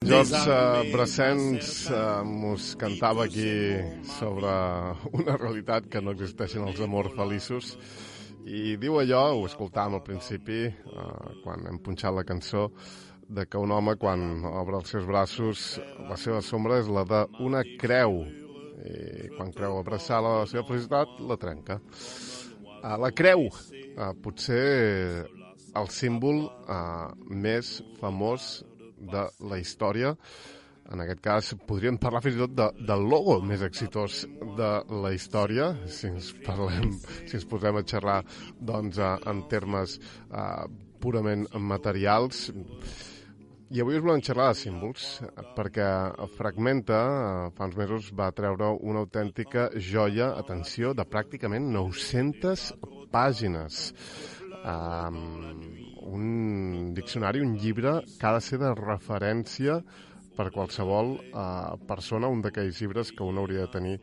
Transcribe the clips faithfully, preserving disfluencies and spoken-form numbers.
George uh, Brassens uh, mos cantava aquí sobre una realitat que no existeixen els amors feliços i diu allò, ho escoltàvem al principi uh, quan hem punxat la cançó, de que un home quan obre els seus braços la seva sombra és la d'una creu i quan creu abraçar la seva felicitat la trenca. Uh, la creu, uh, potser el símbol uh, més famós de la història. En aquest cas podríem parlar fins i tot de, del logo més exitós de la història, si ens parlem, si ens posem a xerrar doncs, en termes uh, purament materials. I avui us volem xerrar de símbols, perquè Fragmenta fa uns mesos va treure una autèntica joia, atenció, de pràcticament nou-centes pàgines. Um, un diccionari, un llibre que ha de ser de referència per qualsevol uh, persona, un d'aquells llibres que un hauria de tenir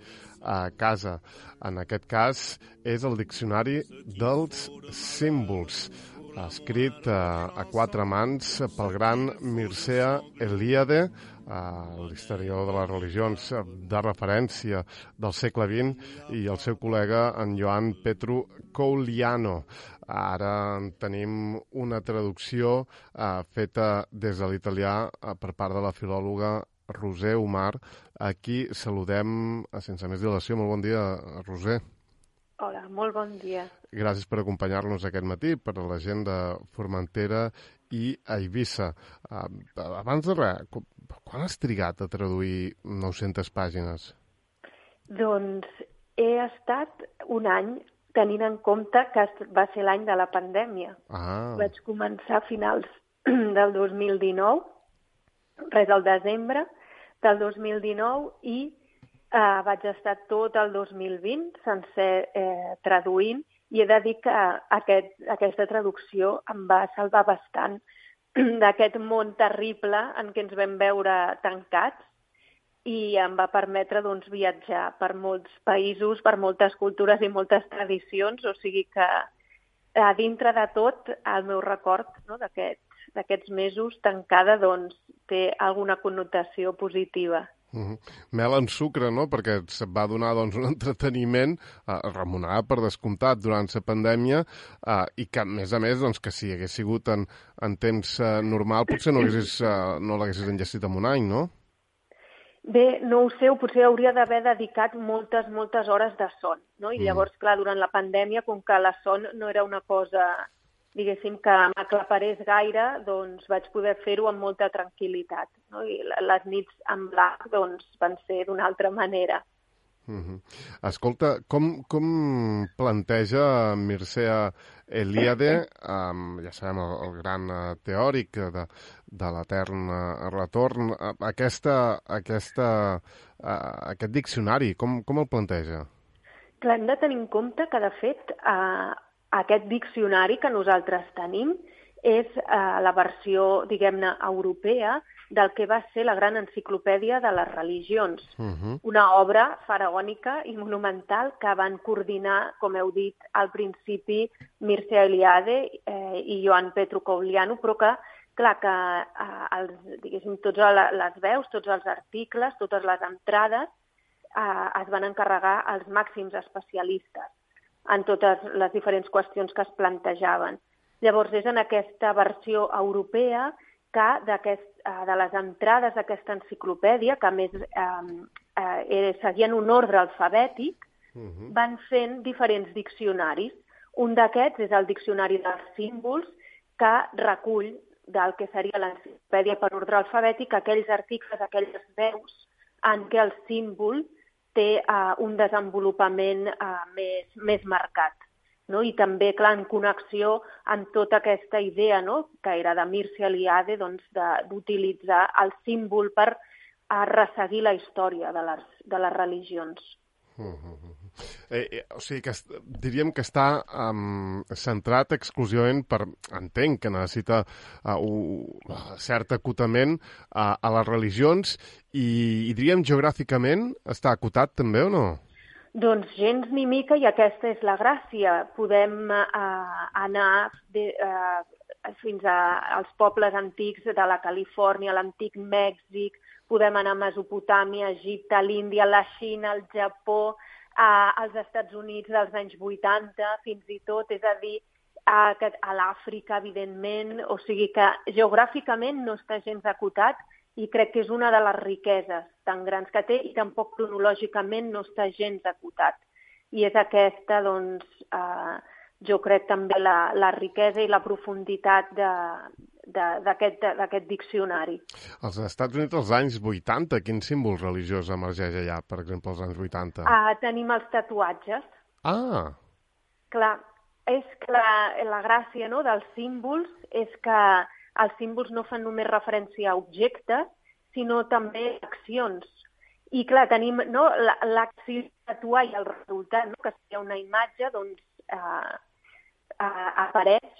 a casa. En aquest cas és el Diccionari dels Símbols, escrit uh, a quatre mans pel gran Mircea Eliade, uh, l'historiador de les religions de referència del segle vint, i el seu col·lega, en Ioan Petru Couliano. Ara tenim una traducció uh, feta des de l'italià uh, per part de la filòloga Roser Omar. Aquí saludem, uh, sense més dilació. Molt bon dia, Roser. Hola, molt bon dia. Gràcies per acompanyar-nos aquest matí per a la gent de Formentera i Eivissa. Uh, abans de res, quan has trigat a traduir nou-centes pàgines? Doncs he estat un any tenint en compte que va ser l'any de la pandèmia. Ah. Vaig començar a finals del dos mil dinou, res al desembre del dos mil dinou, i eh, vaig estar tot el dos mil vint sencer eh, traduint, i he de dir que aquest, aquesta traducció em va salvar bastant d'aquest món terrible en què ens vam veure tancats, i em va permetre doncs, viatjar per molts països, per moltes cultures i moltes tradicions, o sigui que a dintre de tot el meu record, no, d'aquests, d'aquests mesos tancada doncs, té alguna connotació positiva. Uh-huh. Mel en sucre, no?, perquè et va donar doncs, un entreteniment eh, remunerat per descomptat durant la pandèmia eh, i que, a més a més, doncs, que si hagués sigut en, en temps eh, normal potser no, haguessis, eh, no l'haguessis enllestit en un any, no? Bé, no ho sé, potser hauria d'haver dedicat moltes, moltes hores de son, no? I llavors, clar, durant la pandèmia, com que la son no era una cosa, diguéssim, que m'aclaparés gaire, doncs vaig poder fer-ho amb molta tranquil·litat, no? I les nits en blanc, doncs, van ser d'una altra manera. Uh-huh. Escolta, com, com planteja Mircea Eliade, um, ja sabem, el, el gran uh, teòric de, de l'etern uh, retorn, uh, aquesta, aquesta, uh, aquest diccionari, com, com el planteja? Clar, hem de tenir en compte que, de fet, uh, aquest diccionari que nosaltres tenim és uh, la versió, diguem-ne, europea del que va ser la gran enciclopèdia de les religions. Uh-huh. Una obra faraònica i monumental que van coordinar, com heu dit al principi, Mircea Eliade eh, i Ioan Petru Couliano, però que, clar, que eh, els, diguéssim, tots les veus, tots els articles, totes les entrades eh, es van encarregar als màxims especialistes en totes les diferents qüestions que es plantejaven. Llavors, és en aquesta versió europea que d'aquest, de les entrades d'aquesta enciclopèdia, que a més eh, eh, seguien un ordre alfabètic, uh-huh. van fent diferents diccionaris. Un d'aquests és el Diccionari dels Símbols, que recull del que seria l'enciclopèdia per ordre alfabètic aquells articles, aquelles veus en què el símbol té eh, un desenvolupament eh, més, més marcat. No? I també, clar, en connexió amb tota aquesta idea, no?, que era de Mircea Eliade, doncs, d'utilitzar el símbol per a resseguir la història de les, de les religions. Uh-huh. Eh, eh, o sigui, que diríem que està um, centrat exclusivament per... Entenc que necessita uh, un cert acotament uh, a les religions i, i diríem geogràficament està acotat també o no? Doncs gens ni mica, i aquesta és la gràcia. Podem eh, anar de, eh, fins a, als pobles antics de la Califòrnia, l'antic Mèxic, podem anar a Mesopotàmia, Egipte, l'Índia, la Xina, el Japó, a, als Estats Units dels anys vuitanta, fins i tot, és a dir, a, a l'Àfrica, evidentment, o sigui que geogràficament no està gens acotat i crec que és una de les riqueses tan grans que té i tampoc cronològicament no està gens acotat. I és aquesta, doncs, eh, jo crec també la, la riquesa i la profunditat d'aquest diccionari. Als Estats Units, als anys vuitanta, quin símbol religiós emergeix allà, per exemple, als anys vuitanta? Uh, tenim els tatuatges. Ah! Clar, és que la, la gràcia, no, dels símbols és que els símbols no fan només referència a objectes, sinó també a accions. I clar, tenim, no, l'acció de tatuar i el resultat, no, que seria una imatge, doncs, eh, eh, apareix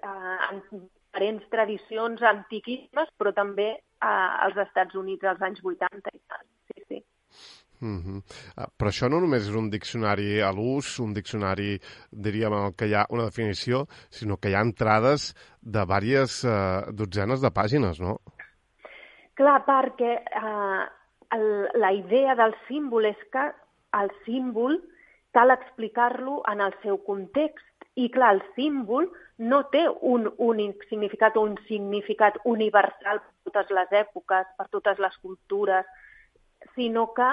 eh, en diferents tradicions antiquíssimes, però també eh, als Estats Units als anys vuitanta i tal. Sí, sí. Mm-hmm. Uh, però això no només és un diccionari a l'ús, un diccionari, diríem, en el que hi ha una definició, sinó que hi ha entrades de diverses uh, dotzenes de pàgines, no? Clar, perquè eh, el, la idea del símbol és que el símbol cal explicar-lo en el seu context. I clar, el símbol no té un únic significat o un significat universal per totes les èpoques, per totes les cultures, sinó que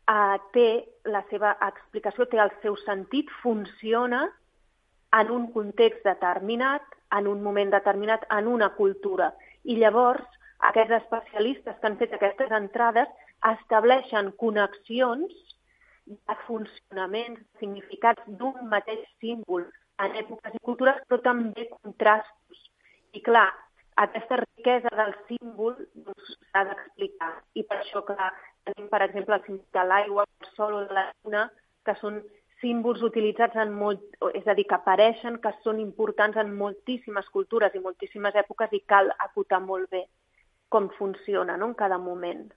Uh, té la seva explicació, té el seu sentit, funciona en un context determinat, en un moment determinat, en una cultura. I llavors, aquests especialistes que han fet aquestes entrades estableixen connexions de funcionaments, significats d'un mateix símbol en èpoques i cultures, però també contrastos. I clar, aquesta riquesa del símbol doncs, s'ha d'explicar. I per això que tenim, per exemple, el símbol de l'aigua, el sol o de la lluna, que són símbols utilitzats en molt... És a dir, que apareixen, que són importants en moltíssimes cultures i moltíssimes èpoques i cal acotar molt bé com funciona, no?, en cada moment.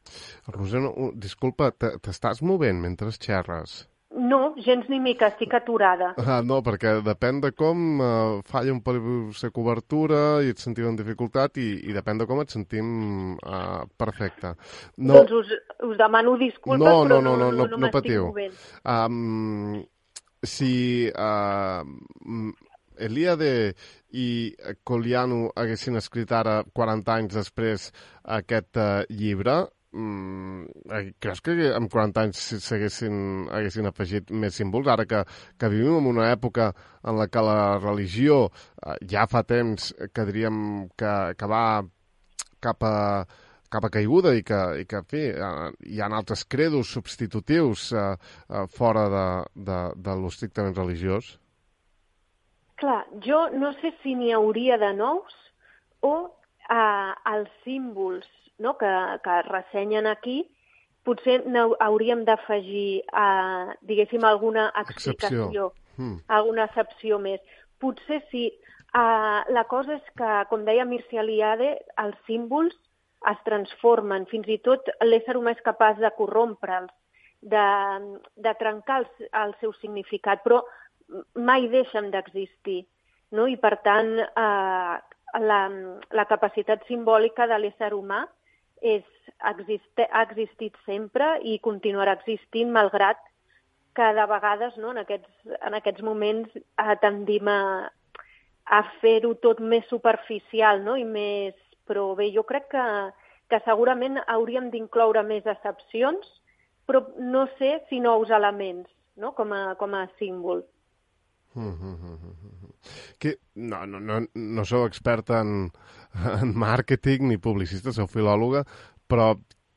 Roser, no, disculpa, t'estàs movent mentre xerres? No, gens ni mica, estic aturada. Ah, no, perquè depèn de com uh, falla un pel la cobertura i et sentim en dificultat i, i depèn de com et sentim uh, perfecte. No, doncs us, us demano disculpes, no, però no, no, no, no, no, no, no no m'estic patiu. movent. Um, si uh, Eliade i Colliano haguessin escrit ara quaranta anys després aquest uh, llibre, Mm, creus que en quaranta anys s'haguessin haguessin afegit més símbols, ara que, que vivim en una època en la que la religió eh, ja fa temps que diríem que, que va cap a, cap a caiguda i que, i que en fi, eh, hi ha altres credos substitutius eh, eh, fora de, de, de l'estrictament religiós? Clar, jo no sé si n'hi hauria de nous o eh, els símbols, no?, que, que ressenyen aquí, potser hauríem d'afegir, eh, diguéssim, alguna explicació, excepció. Hmm. alguna excepció més. Potser sí. Eh, la cosa és que, com deia Mircea Eliade, els símbols es transformen. Fins i tot l'ésser humà és capaç de corrompre'ls, de, de trencar el, el seu significat, però mai deixen d'existir, no? I, per tant, eh, la, la capacitat simbòlica de l'ésser humà és, existe, ha existit sempre i continuarà existint, malgrat que de vegades, no, en, aquests, en aquests moments eh, tendim a, a fer-ho tot més superficial, no? I més... Però bé, jo crec que, que segurament hauríem d'incloure més excepcions, però no sé si nous elements, no?, com a, com a símbol. Mm -hmm. Que, no, no, no, no sou experta en, en màrqueting ni publicista, sou filòloga, però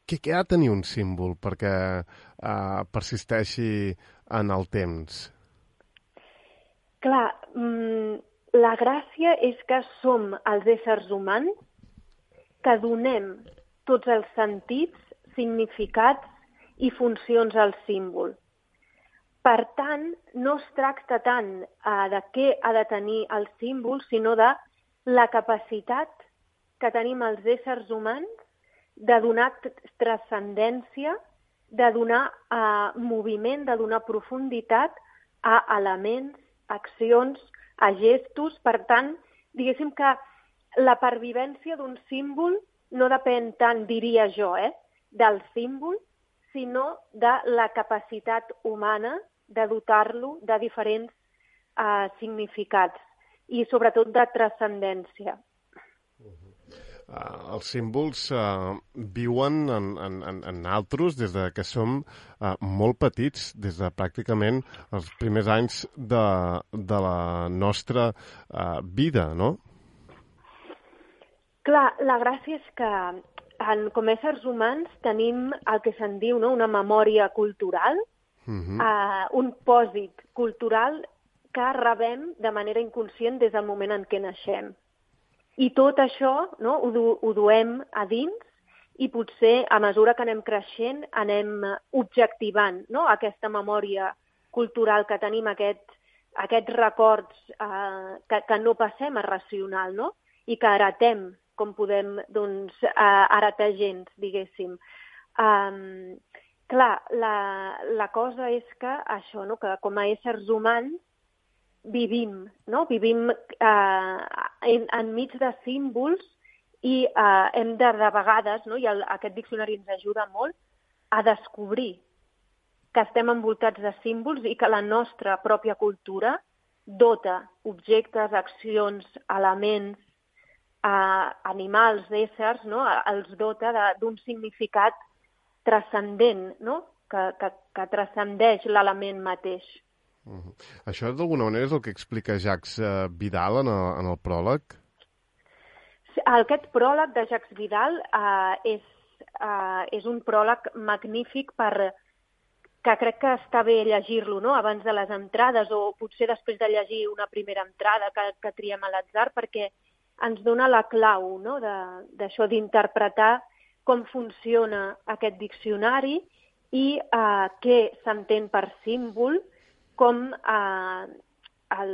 què, què ha de tenir un símbol perquè uh, persisteixi en el temps? Clar, mmm, la gràcia és que som els éssers humans que donem tots els sentits, significats i funcions al símbol. Per tant, no es tracta tant uh, de què ha de tenir el símbol, sinó de la capacitat que tenim els éssers humans de donar transcendència, de donar uh, moviment, de donar profunditat a elements, accions, a gestos. Per tant, diguéssim que la pervivència d'un símbol no depèn tant, diria jo, eh, del símbol, sinó de la capacitat humana de dotar-lo de diferents eh, significats i sobretot de transcendència. Uh, els símbols uh, viuen en, en, en altres des de que som uh, molt petits, des de pràcticament els primers anys de, de la nostra uh, vida, no? Clar, la gràcia és que en, com a éssers humans tenim el que se'n diu, no?, una memòria cultural, uh-huh. uh, un pòsit cultural que rebem de manera inconscient des del moment en què naixem. I tot això, no, ho, du, ho duem a dins i potser a mesura que anem creixent anem objectivant, no, aquesta memòria cultural que tenim, aquest, aquests records eh, que, que no passem a racional, no? I que heretem, com podem doncs, eh, heretar gens, diguéssim. Um, clar, la, la cosa és que això, no, que com a éssers humans vivim, no? Vivim eh, en, enmig de símbols i eh, hem de, de vegades, no? I el, aquest diccionari ens ajuda molt a descobrir que estem envoltats de símbols i que la nostra pròpia cultura dota objectes, accions, elements, eh, animals, éssers, no? Els dota d'un significat transcendent, no? Que, que, que transcendeix l'element mateix. Uh-huh. Això d'alguna manera és el que explica Jacques uh, Vidal en el, en el pròleg? Aquest pròleg de Jacques Vidal uh, és, uh, és un pròleg magnífic per, que crec que està bé llegir-lo, no?, abans de les entrades o potser després de llegir una primera entrada que, que triem a l'atzar, perquè ens dona la clau, no?, d'això d'interpretar com funciona aquest diccionari i uh, què s'entén per símbol, com, eh, el,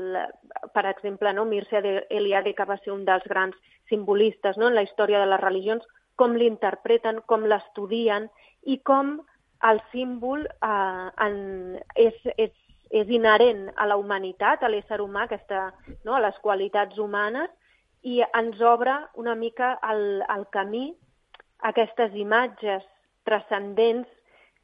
per exemple, no, Mircea Eliade, que va ser un dels grans simbolistes, no, en la història de les religions, com l'interpreten, com l'estudien i com el símbol eh, en, és, és, és inherent a la humanitat, a l'ésser humà, aquesta, no, a les qualitats humanes, i ens obre una mica el, el camí a aquestes imatges transcendents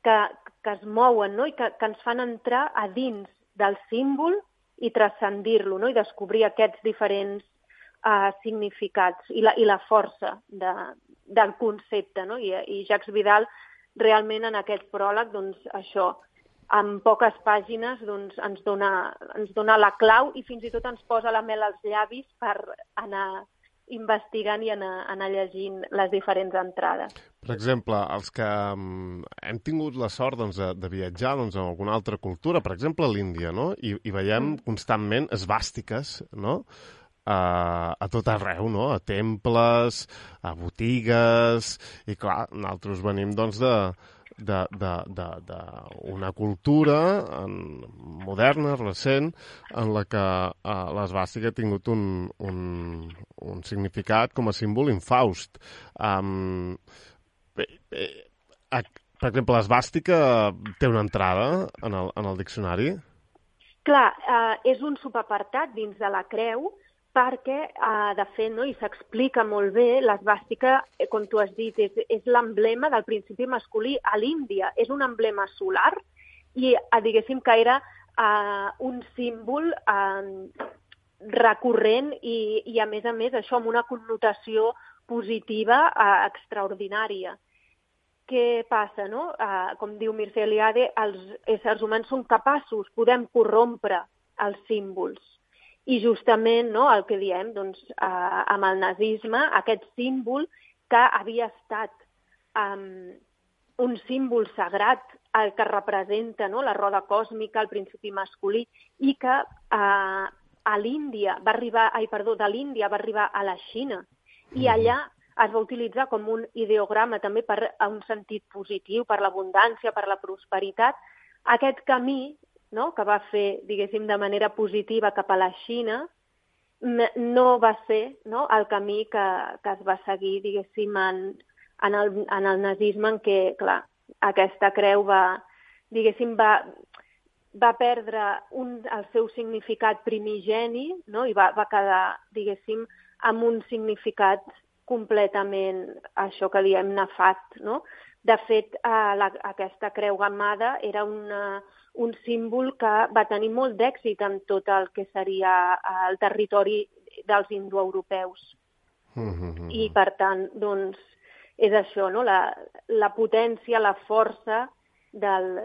que, que es mouen, no?, i que, que ens fan entrar a dins del símbol i transcendir-lo, no?, i descobrir aquests diferents uh, significats i la, i la força de, del concepte, no? I, i Jacques Vidal realment en aquest pròleg, doncs això, en poques pàgines doncs, ens, dona, ens dona la clau i fins i tot ens posa la mel als llavis per anar investigant i anar, anar llegint les diferents entrades. Per exemple, els que um, hem tingut la sort doncs, de, de viatjar doncs, en alguna altra cultura, per exemple a l'Índia, no? I, i veiem mm. constantment esvàstiques, no?, a, a tot arreu, no?, a temples, a botigues, i clar, nosaltres venim doncs, de, de, de, de, de una cultura en, moderna, recent, en la que uh, l'esvàstica ha tingut un, un, un significat com a símbol infaust. Um, bé, bé, per exemple, l'esvàstica té una entrada en el, en el diccionari? Clar, eh, és un subapartat dins de la creu, perquè, eh, de fet, no, i s'explica molt bé, l'esvàstica, eh, com tu has dit, és, és l'emblema del principi masculí a l'Índia. És un emblema solar i, eh, diguéssim, que era eh, un símbol eh, recurrent i, i, a més a més, això amb una connotació positiva eh, extraordinària. Què passa, no? Eh, com diu Mircea Eliade, els éssers humans són capaços, podem corrompre els símbols. I justament, no, el que diem, doncs, eh, amb el nazisme, aquest símbol que havia estat eh, un símbol sagrat, el que representa, no, la roda còsmica, el principi masculí, i que eh, a l'Índia va arribar, ai, perdó, de l'Índia va arribar a la Xina, i allà es va utilitzar com un ideograma també per a un sentit positiu, per l'abundància, per la prosperitat. Aquest camí, no, que va fer, diguéssim, de manera positiva cap a la Xina, no va ser, no, el camí que, que es va seguir, diguéssim, en, en, el, en el nazisme, en què, clar, aquesta creu va, diguéssim, va, va perdre un, el seu significat primigeni, no, i va, va quedar, diguéssim, amb un significat completament, això que diem, nefast, no? De fet, eh, la, aquesta creu gammada era una, un símbol que va tenir molt d'èxit en tot el que seria el territori dels indoeuropeus. Mm-hmm. I, per tant, doncs, és això, no? La, la potència, la força del,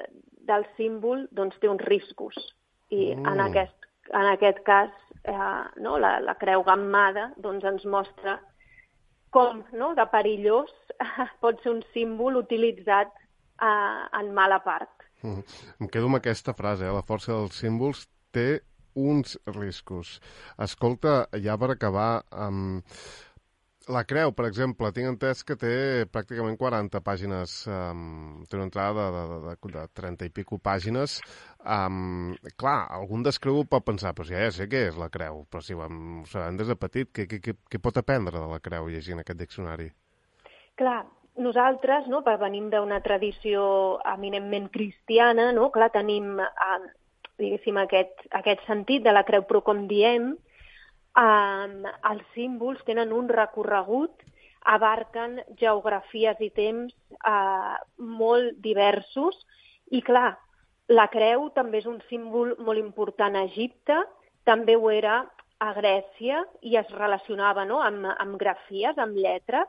del símbol doncs, té uns riscos. I mm. en, aquest, en aquest cas, eh, no? la, la creu gammada doncs, ens mostra com, no? De perillós pot ser un símbol utilitzat eh, en mala part. Mm. Em quedo amb aquesta frase, eh? La força dels símbols té uns riscos. Escolta, ja per acabar, um, la creu, per exemple, tinc entès que té pràcticament quaranta pàgines, um, té una entrada de, de, de, de trenta i pico pàgines. Um, clar, algun descreu pot pensar, però si ja sé què és la creu, però si ho, hem, ho sabem des de petit, què, què, què pot aprendre de la creu llegint aquest diccionari? Clar, nosaltres, no, venim d'una tradició eminentment cristiana, no? Clar, tenim, eh, diguéssim, aquest, aquest sentit de la creu, però com diem, Um, els símbols tenen un recorregut, abarquen geografies i temps uh, molt diversos i, clar, la creu també és un símbol molt important a Egipte, també ho era a Grècia i es relacionava, no? amb, amb grafies, amb lletres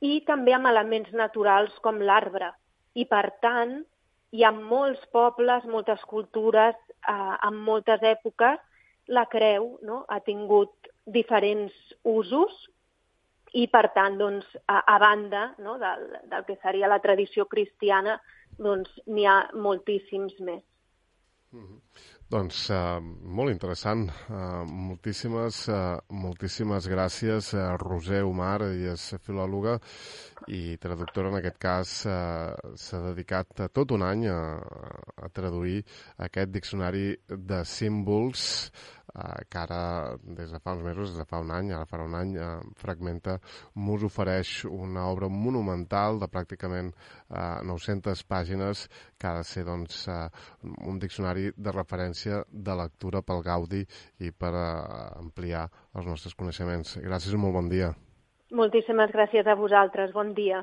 i també amb elements naturals com l'arbre. I, per tant, hi ha molts pobles, moltes cultures, uh, en moltes èpoques, la creu, no? Ha tingut diferents usos i, per tant, doncs, a, a banda, no? del, del que seria la tradició cristiana, doncs n'hi ha moltíssims més. Mm-hmm. Doncs uh, molt interessant. Uh, moltíssimes, uh, moltíssimes gràcies a Roser Omar, ella és filòloga i traductora, en aquest cas uh, s'ha dedicat tot un any a, a traduir aquest diccionari de símbols uh, que ara, des de fa uns mesos, des de fa un any, ara farà un any, uh, Fragmenta mos ofereix una obra monumental de pràcticament uh, nou-centes pàgines que ha de ser doncs, uh, un diccionari de referència de lectura pel Gaudi i per uh, ampliar els nostres coneixements. Gràcies i molt bon dia. Moltíssimes gràcies a vosaltres. Bon dia.